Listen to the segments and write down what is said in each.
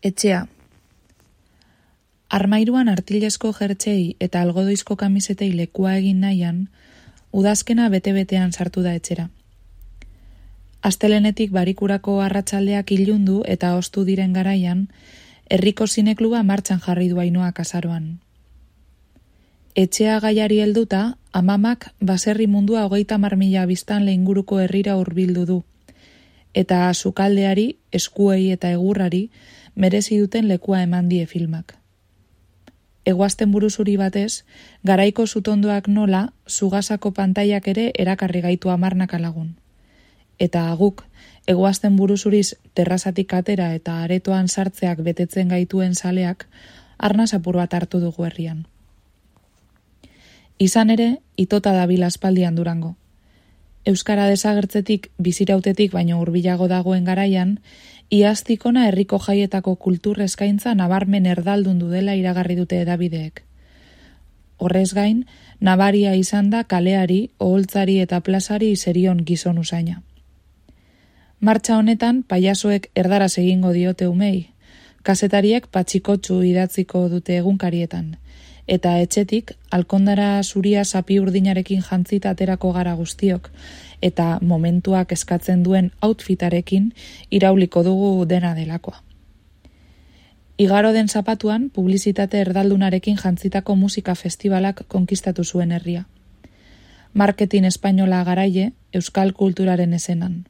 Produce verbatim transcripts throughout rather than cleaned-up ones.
Etxea. Armairuan artilezko jertxei eta algodoizko kamisetei lekua egin nahian, udazkena bete-betean sartu da etxera. Astelenetik barikurako arratsaldeak ilundu eta ostu diren garaian, herriko zinekluba martxan jarri du Ainoak azaroan. Etxea gaiari helduta, amamak baserri mundua hogeita hamar mila biztanle inguruko herrira hurbildu du, eta sukaldeari, eskuei eta egurrari merezi duten lekua eman die filmak. Egoazten buruzuri batez, garaiko zutondoak nola, zugasako pantaiak ere erakarri gaitu hamarnaka lagun. Eta guk, egoazten buruzuriz terrazatik atera eta aretoan sartzeak betetzen gaituen zaleak, arnaz apur bat hartu dugu herrian. Izan ere, itota dabil aspaldian Durango. Euskara desagertzetik, bizirautetik baino hurbilago dagoen garaian, iaztikona herriko jaietako kultur eskaintza nabarmen erdaldundu dela iragarri dute hedabideek. Horrez gain, nabaria izan da kaleari, oholtzari eta plazari zerion gizon usaina. Martxa honetan, paiasoek erdaraz egingo diote umei, kazetariek patxikotxu idatziko dute egunkarietan, eta etxetik, alkondara zuria sapi urdinarekin jantzita aterako gara guztiok, eta momentuak eskatzen duen outfitarekin irauliko dugu dena delakoa. Igaro den zapatuan, publizitate erdaldunarekin jantzitako musika festivalak konkistatu zuen herria. Marketing espainola garaie, euskal kulturaren esenan.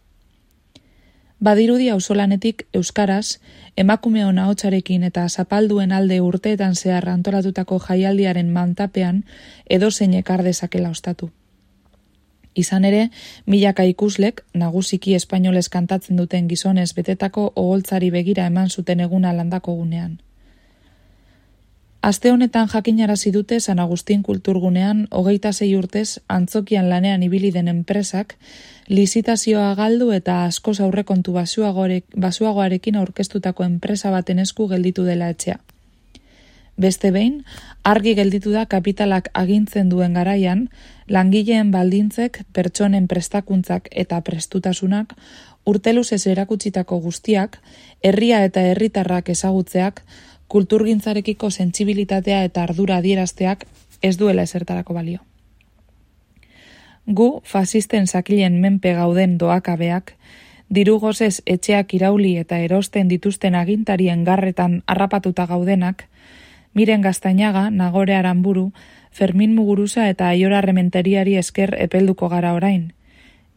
Badirudi auzolanetik euskaraz, emakumeon ahotsarekin eta zapalduen alde urteetan zehar antolatutako jaialdiaren mantapean edozein ekar dezakela ostatu. Izan ere, milaka ikuslek, nagusiki espainolez kantatzen duten gizonez betetako oholtzari begira eman zuten eguna landako gunean. Aste honetan jakinarazi dute San Agustin kulturgunean hogeita sei urtez antzokian lanean ibili den enpresak lizitazioa galdu eta askoz aurrekontu basuagoarekin aurkeztutako enpresa baten esku gelditu dela etxea. Beste behin, argi gelditu da kapitalak agintzen duen garaian, langileen baldintzek, pertsonen prestakuntzak eta prestutasunak, urteluzez erakutsitako guztiak, herria eta herritarrak ezagutzeak, kulturgintzarekiko sentsibilitatea eta ardura adierazteak ez duela ezertarako balio. Gu, fasisten zakilen menpe gauden doakabeak, diru gozez etxeak irauli eta erosten dituzten agintarien garretan harrapatuta gaudenak, Miren Gaztainaga, Nagore Aranburu, Fermin Muguruza eta Aiora Rementeriari esker epelduko gara orain.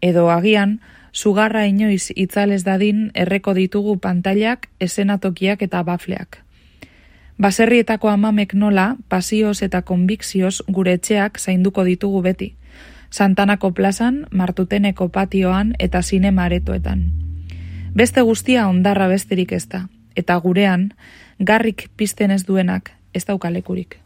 Edo agian, sugarra inoiz itzalez dadin erreko ditugu pantailak, esenatokiak eta bafleak. Baserrietako amamek nola, pasioz eta konbikzioz gure etxeak zainduko ditugu beti. Santanako plazan, Martuteneko patioan eta zinema aretoetan. Beste guztia ondarra besterik ez da, eta gurean, garrik pizten ez duenak ez daukalekurik.